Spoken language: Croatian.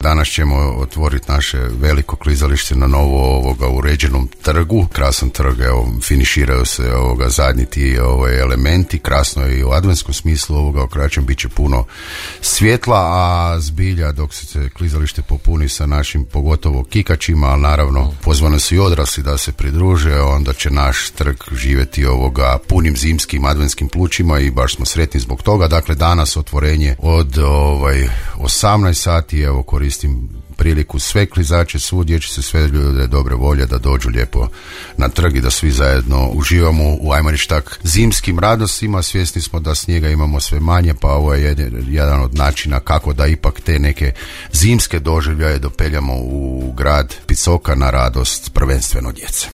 danas ćemo otvoriti naše veliko klizalište na novo uređenom trgu. Krasan trg, evo, finiširaju se zadnji ti elementi, krasno je i u adventskom smislu okraćem, bit će puno svjetla, a zbilja dok se klizalište popuni sa našim pogotovo kikačima, ali naravno pozvani su i odrasli da se pridruže, onda će naš trg živjeti punim zimskim adventskim plućima i baš smo sretni zbog toga. Dakle, danas otvorenje od 18 sati, evo koristim priliku sve klizače, svu dječice, sve ljude dobre volje da dođu lijepo na trg i da svi zajedno uživamo u, ajmo reći tak, zimskim radostima. Svjesni smo da snijega imamo sve manje, pa ovo je jedan od načina kako da ipak te neke zimske doživljaje dopeljamo u grad Picoka na radost prvenstveno djece.